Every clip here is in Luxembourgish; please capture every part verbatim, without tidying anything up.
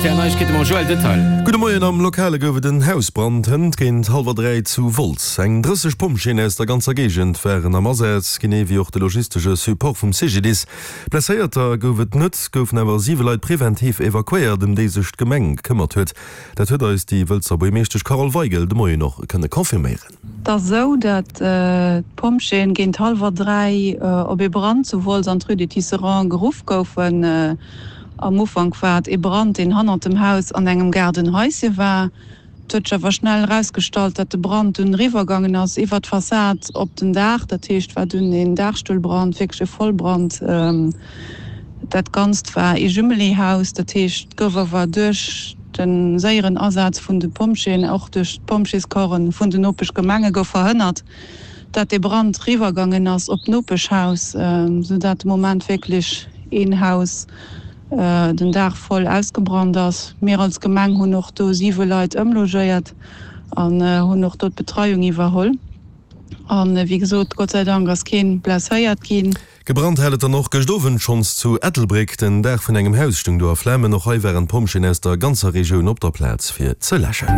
R T L Neiegkeete mam Joël Detail. Gudde Moien, Am Lokale gouf et en Hausbrand hënt géint hallwer dräi zu Wolz. Eng drësseg Pompjeeën aus der ganzer Géigend waren am Asaz, genee wéi och de logistesche Support vum C G D I S. Blesséierter gouf et net, goufen awer siwe Leit preventiv evakuéiert, ëm déi sech d'Gemeng gekëmmert huet. Dat huet eis déi Wëlzer Buergermeeschtesch Carole Weigel de Moien och kënne confirméieren. Et ass esou, datt d'Pompjeeën géint hallwer dräi op ee Brand zu Wolz an d'Rue des Tisserands geruff goufen. Am Ufank war et ee Brand, deen hannert dem Haus an engem Gaardenhaische war. Et huet sech awer schnell erausgestallt, datt de Brand dunn eriwwergaangen ass iwwer d'Fassad op den Daach. Dat heescht, war dunn een Daachstullbrand, wierklech e Vollbrand. Dat Ganzt war ee Jumelé-Haus, dat heescht, et gouf awer duerch de séieren Asaz vun de Pompjeeën, och duerch d'Pompjeescorpsen vun den Nopeschgemenge gouf verhënnert, dat dee Brand riwwergaangen ass op d'Nopeschhaus, sou dat de Moment wierklech een Haus den Daach voll ausgebrannt ass. Mir als Gemeng hunn och do siwe Leit ëmlogéiert an hunn och do d'Betreiung iwwerholl. An wéi gesot, Gott sei Dank ass keen blesséiert ginn. Gebrannt hat et dann och gëscht Owend schonns zu Ettelbréck. Den Daach vun engem Haus stoung do a Flamen. Och hei waren d'Pompjeeën aus der ganzer Regioun op der Plaz fir ze läschen.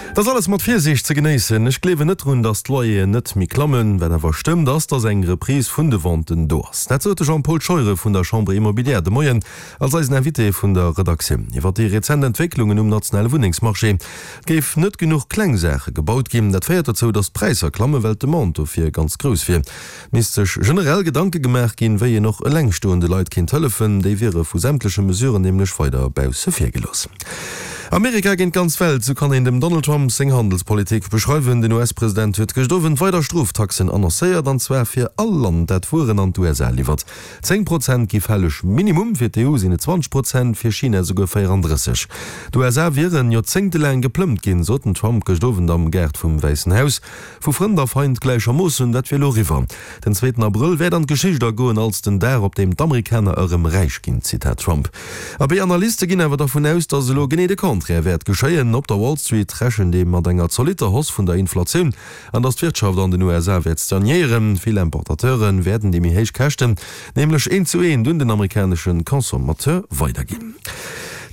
Et ass alles mat Virsiicht ze genéissen. Ech gleewen net drun, datt d'Loyeren net méi klammen. Wat awer stëmmt, ass, datt eng Reprise vun de Venten do ass. Dat sot de Jean-Paul Scheuren vun der Chambre Immobilière de Moien als eisen Invité vun der Redaktioun iwwer déi rezent Entwécklungen um nationale Wunnengsmarché. Et géif net genuch kleng Saache gebaut ginn. Dat féiert dozou, datt d'Präisser klammen, well d'Demande dofir ganz grouss wier. Et misst sech generell Gedanke gemaach ginn, wéi een och elengstoende Leit kéint hëllefen. Déi wiere vu sämtleche Mesuren nämlech weider bausse vir gelooss. Amerika géint d'ganz Welt, sou kann een dem Donald Trump seng Handelspolitik beschreiwen. Den U S-President huet gëscht Owend weider Stroftaxen annoncéiert, an zwar fir all Land, dat Wueren an d'U S A liwwert. Zéng Prozent gi fälleg Minimum, fir d'E U sinn et zwanzeg Prozent, fir China esouguer véierandrësseg. D'U S A wieren joerzéngtelaang geplëmmt ginn, sot den Trump gëscht Owend am Gaart vum Wäissen Haus. Vu Frënd a Feind gläichermoossen, dat wier elo eriwwer. Den zweeten Abrëll wäert an d'Geschicht agoen als den Dag, op deem d'Amerikaner erëm räich ginn, Zitat Trump. Abee, Analyste ginn awer dervun aus, datt elo genee de Contraire wäert geschéien. Op der Wall Street rechent ee mat enger zolitter Hausse vun der Inflatioun an datt d'Wirtschaft an den U S A wäert stagnéieren. Vill Importateure wäerten déi méi héich Käschten nämlech eent zu eent un den amerikanesche Consommateur weiderginn.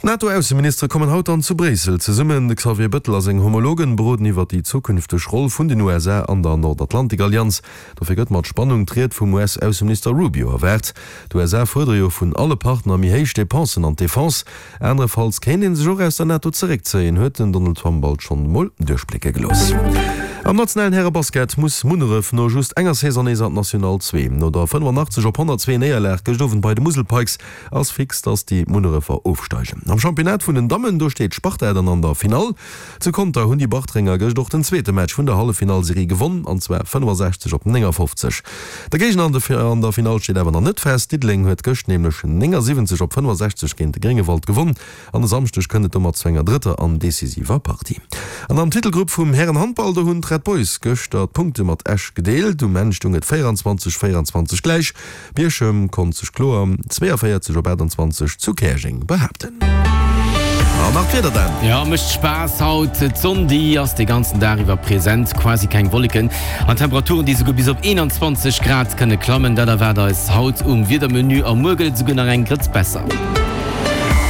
D'NATO-Ausseministere kommen haut dann zu Bréissel zesummen. De Xavier Bëttel a seng Homologen beroden iwwer déi zukünfteg Roll vun den U S A an der Nordatlantik-Allianz. Dofir gëtt mat Spannung d'Ried vum U S-Ausseminister Rubio erwaart. D'U S A fuerdere jo vun alle Partner méi héich Depensen an d'Defense. Anerefalls kéint ee sech och aus der NATO zeréckzéien, huet den Donald Trump alt schonn emol duerchblécke gelooss. Am nationalen Härebasket muss Munneref no just enger Saison nees an d'National zwee. No der fënnefanaachtzeg op honnertzwee Néierlag gëscht Owend bei de Musel Pikes ass fix, dass déi Munnerefer ofsteigen. Am Championnat vun den Dammen, do steet d'Sparta dann an der Finall. Zu Conter hunn déi Bartrenger gëscht och den zweete Match vun der Halleffinallserie gewonn, an zwar fënnefasechzeg op néngafofzeg. De Géigner an der Finall steet awer nach net fest. Diddeleng huet gëscht nämlech néngasiwwenzeg op fënnefasechzeg géint de Gréngewald gewonn an e Samschdeg kënnt et domat zu enger drëtter an decisiver Partie. An am Titelgrupp vum Härenhandball, do hunn d'Red Boys gëschter d'Punkte mat Esch gedeelt. Um Enn stoung et véieranzwanzeg, véieranzwanzeg gläich. Bierchem konnt sech kloer zweeënvéierzeg op aachtanzwanzeg zu Käerjeng behaapten. An nach d'Wieder dann. Jo, mécht Spaass haut. D'Sonn déi ass de ganzen Dag iwwer present, quasi keng Wolleken an Temperaturen déi souguer bis op eenanzwanzeg Grad kënne klammen. Dat erwaart eis haut um Wiedermenu a muer gëtt et souguer nach eng Grëtz besser.